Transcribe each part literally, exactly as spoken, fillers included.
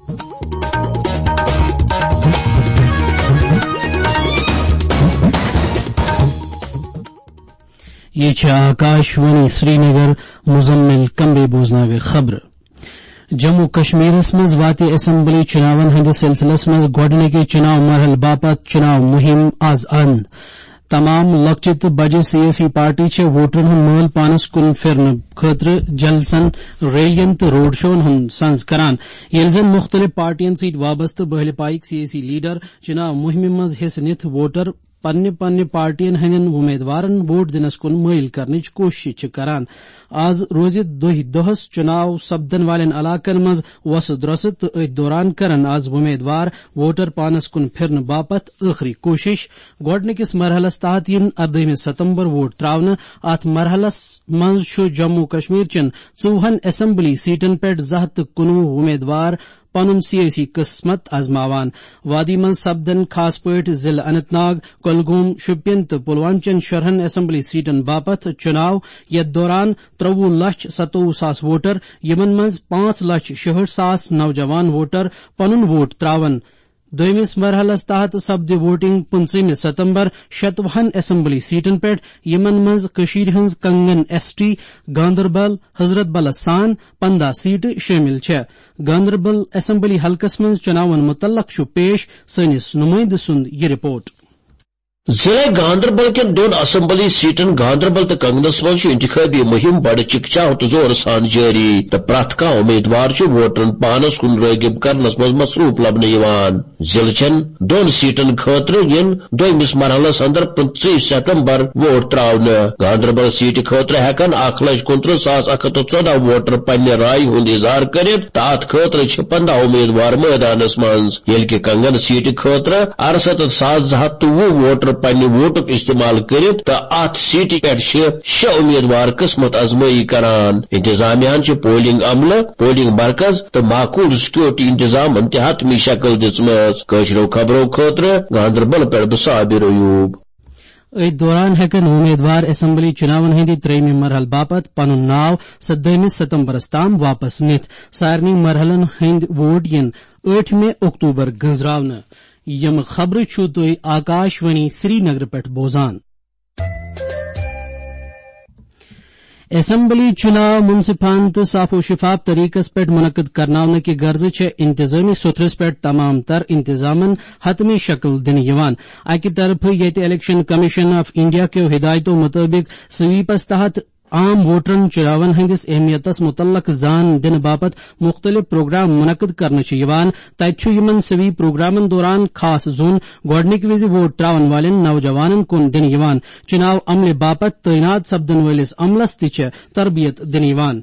یہ چھِ آکاش وانی سرینگر۔ مزمل کمبے بوزناوِ خبرٕ۔ جموں کشمیرس منٛز واتہِ اسمبلی چُناون ہٕنٛدِس سلسلس منٛز گۄڈٕنِکہِ چُناو مرحلہٕ باپتھ چُناو مُہِم از اند۔ تمام لۄکچہِ تہٕ بجہِ سیٲسی پارٹی چھےٚ ووٹرن ہُنٛد مٲل پانس کُن پھِرنہٕ خٲطرٕ جلسن، ریلین تہٕ روڈ شوون ہُنٛد سنز کران، ییٚلہِ زن مُختٔلِف پارٹین سۭتۍ وابستہٕ بٔہلہِ پایِکۍ سیٲسی لیڈر چُناو مُہِمہِ منٛز حصہٕ نِتھ ووٹر پننہِ پننہِ پارٹین ہٕنٛدٮ۪ن وۄمیدوارن ووٹ دِنس کُن مٲیِل کرنٕچ کوٗشش چھِ کران۔ از روزِ دۄہہِ دۄہس چُناو سپدن والٮ۪ن علاقن منٛز وۄسہٕ درۄسہٕ تہٕ أتھۍ دوران کرن از وۄمیدوار ووٹر پانس کُن پھِرنہٕ باپتھ ٲخری کوٗشش۔ گۄڈٕنِکِس مرحلس تحت یِن اردٲہمہِ ستمبر ووٹ تراونہٕ۔ اتھ مرحلس منٛز چھُ جموں کشمیر چٮ۪ن ژوٚوُہن اسمبلی سیٹن پٮ۪ٹھ زٕ ہتھ تہٕ کُنوُہ وۄمیدوار پنُن سیٲسی قسمت آزماوان۔ وادی منٛز سپدن خاص پٲٹھۍ ضلعہٕ اننت ناگ، کۄلگوم، شوپین تہٕ پلوامہ چٮ۪ن شُرہن اسمبلی سیٹن باپتھ چُناو، یتھ دوران ترٛوٚوُہ لچھ ستووُہ ساس ووٹر، یِمن منٛز پانٛژھ لچھ شُہٲٹھ ساس نوجوان ووٹر پنُن ووٹ تراون۔ دوٚیمِس مرحلس تحت سپدِ ووٹنگ پٕنٛژٕہمہِ ستمبر شتوُہن اسمبلی سیٹن پٮ۪ٹھ، یِمن منٛز کٔشیٖرِ ہٕنٛز کنگن ایس ٹی، گاندربل، حضرت بلس سان پندہ سیٹہٕ شٲمِل چھےٚ۔ گاندربل اسمبلی حلقس منٛز چُناون مُتعلق چھُ پیش سٲنِس نُمٲیندٕ سُنٛد یہِ رپورٹ۔ ضلع گاندربل کٮ۪ن دۄن اسمبلی سیٹن گاندربل تہٕ کنگنس منٛز چھُ انتخابی مُہِم بڑٕ چکچاہٕ تہٕ زورٕ سان جٲری تہٕ پرٛٮ۪تھ کانٛہہ امیدوار چھُ ووٹرن پانس کُن رٲغب کرنس منٛز مصروٗف لبنہٕ یِوان۔ ضلعہٕ چٮ۪ن دۄن سیٹن خٲطرٕ یِن دوٚیمِس مرحلس اندر پٕنٛژٕہ ستمبر ووٹ تراونہٕ۔ گاندربل سیٹہِ خٲطرٕ ہٮ۪کن اکھ لچھ کُنترٕہ ساس اکھ ہتھ تہٕ ژۄدہ ووٹر پننہِ رایہِ ہُنٛد اظہار کٔرِتھ تہٕ اتھ خٲطرٕ چھِ پندہ امیدوار مٲدانس منٛز، ییٚلہِ کہِ کنگن سیٹہِ خٲطرٕ ارستتھ ساس زٕ ہتھ تہٕ وُہ ووٹر پننہِ ووٹُک استعمال کٔرِتھ تہٕ اتھ سیٹہِ پٮ۪ٹھ چھِ شےٚ امیدوار قسمت آزمٲیی کران۔ انتظامیہ ہن چھِ پولنگ عملہٕ، پولنگ مرکز تہٕ معقول سیکورٹی انتظامن تہِ حتمی شکل دِژمٕژ۔ کٲشرٮ۪و خبرو خٲطرٕ گاندربل پٮ۪ٹھ بہٕ صابر ایوب۔ أتھۍ دوران ہٮ۪کن وۄمیدوار اسمبلی چُناون ہٕنٛدِ ترٛیٚیمہِ مرحلہٕ باپتھ پنُن ناو سدٲہمہِ ستمبرس تام واپس نِتھ۔ سارنٕے مرحلن ہٕنٛدۍ ووٹ یِن ٲٹھمہِ اکتوبر گٔنزراونہٕ۔ یِم خبرٕ چھِو تُہۍ آکاش وانی سرینگرٕ پٮ۪ٹھ بوزان۔ اسمبلی چُناو منصفانہٕ تہٕ صاف و شفاف طریقس پٮ۪ٹھ منعقد کرناونہٕ کہِ غرضہٕ چھےٚ انتظامی سوٚتھرس پٮ۪ٹھ تمام تر انتظامن حتمی شکل دِنہٕ یِوان۔ اکہِ طرفہٕ ییٚتہِ الیکشن کمیشن آف انڈیا کیو ہدایتو مطٲبق سویپس تحت عام ووٹرن چُناون ہٕنٛدِس اہمیتس مُتعلق زان دِنہٕ باپتھ مُختٔلِف پروگرام منعقد کرنہٕ چھِ یِوان، تَتہِ چھُ یِمن سویپ پروگرامن دوران خاص زوٚن گۄڈٕنِکہِ وِزِ ووٹ ترٛاوَن والٮ۪ن نوجوانن کُن دِنہٕ یِوان۔ چُناو عملہِ باپتھ تعینات سپدن وٲلِس عملس تہِ چھےٚ تربیت دِنہٕ یِوان۔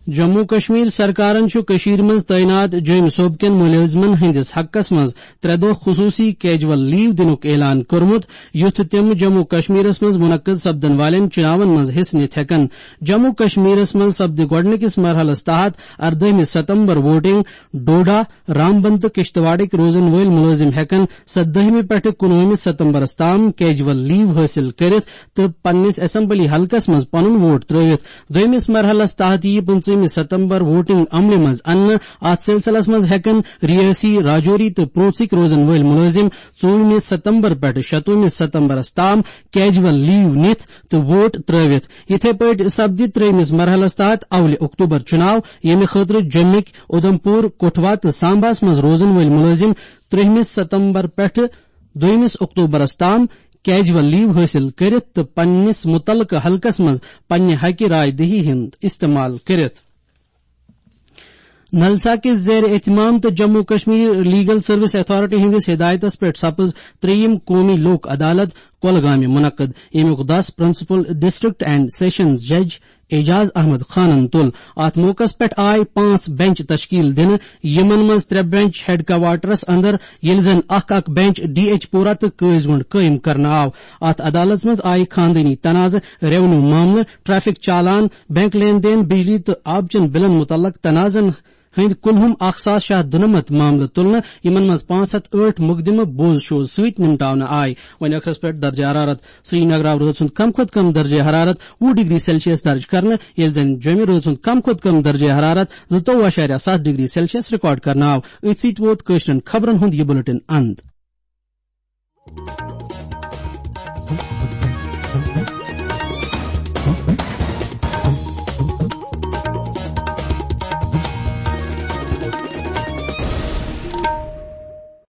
جموں کشمیر سرکارن چھُ کٔشیٖرِ منٛز تعینات جوٚمہِ صوبہٕ کٮ۪ن مُلٲزمن ہٕنٛدِس حقس منٛز ترٛےٚ دۄہ خصوٗصی کیجول لیو دِنُک اعلان کوٚرمُت، یُتھ تِم جموں کشمیرس منٛز منعقد سپدن والٮ۪ن چُناون منٛز حصہٕ نِتھ ہٮ۪کن۔ جموں کشمیرس منٛز سپدِ گۄڈٕنِکِس مرحلس تحت اردٲہمہِ ستمبر ووٹنگ۔ ڈوڈا، رامبن تہٕ کشتواڑٕکۍ روزن وٲلۍ مُلٲزِم ہٮ۪کن سدٲہمہِ پٮ۪ٹھٕ کُنوُہمہِ ستمبرس تام کیجول لیو حٲصِل کٔرِتھ تہٕ پننِس اسمبلی حلقس منٛز پنُن ووٹ ترٲوِتھ۔ دوٚیمِس مرحلس تحت یِیہِ پٕنٛژٕہمہِ ستمبر ووٹنگ عملہِ منٛز اننہٕ۔ اتھ سلسلس منٛز ہٮ۪کن ریٲسی، راجوری تہٕ پروژٕکۍ روزن وٲلۍ مُلٲزِم ژوٚوُہمہِ ستمبر پٮ۪ٹھٕ شتوُہمہِ ستمبرس تام کیجول لیو نِتھ تہٕ ووٹ ترٲوِتھ۔ یِتھے پٲٹھۍ سپدِ ترٛیٚیمِس مرحلس تحت اولہِ اکتوبر چُناو، ییٚمہِ خٲطرٕ جوٚمِکۍ، اُدھمپور، کٹھوا تہٕ سامباہس منٛز روزن وٲلۍ مُلٲزِم ترٛیٚیِمِس ستمبر پٮ۪ٹھٕ دوٚیمِس اکتوبرس تام کیجول لیو حٲصِل کٔرِتھ تہٕ پننِس مُتعلقہٕ حلقس منٛز پننہِ حقہِ راے دہی ہُنٛد استعمال کٔرِتھ۔ نلسا کِس زیر اہتمام تہٕ Jammu Kashmir legal service authority ہٕنٛدِس ہدایتس پٮ۪ٹھ سپٕز ترٛیٚیِم قومی لوک عدالت کۄلگامہِ منعقد، ییٚمیُک دَس پرنسپل ڈسٹرکٹ اینڈ سیشنز جج اعجاز احمد خانن تُل۔ اتھ موقعس پٮ۪ٹھ آیہِ پانٛژھ بینچ تشکیل دِنہٕ، یِمن منٛز ترٛےٚ بینچ ہیڈ کوارٹرس اندر، ییٚلہِ زن اکھ اکھ بینچ ڈی ایچ پورہ تہٕ قٲضۍ گُنڈ قٲیِم کرنہٕ آو۔ اتھ عدالتس منٛز آیہِ خاندٲنی تنازٕ، ریونیو معاملہٕ، ٹریفک چالان، بینک لین دین، بجلی تہٕ آبہٕ چٮ۪ن بلن مُتعلق تنازن ہٕنٛدۍ کُلہُم اکھ ساس شےٚ ہتھ دُنَمَتھ معاملہٕ تُلنہٕ، یِمن منٛز پانٛژھ ہتھ ٲٹھ مقدمہٕ بوز شوز سۭتۍ نمٹاونہٕ آے۔ وۄنۍ ٲخرس پٮ۪ٹھ درجہ حرارت۔ سرینگر آو رٲژ ہُنٛد کم کھۄتہٕ کم درجہ حرارت وُہ ڈگری سیلسیس درج کرنہٕ، ییٚلہِ زن جوٚمہِ رٲژ ہُنٛد کم کھۄتہٕ کم درجہ حرارت زٕتووُہ اعشاریہ ستھ ڈگری سیلسیس ریکارڈ کرنہٕ آو۔ أتھۍ سۭتۍ ووت کٲشرٮ۪ن خبرن ہُنٛد یہِ بُلٹن اند۔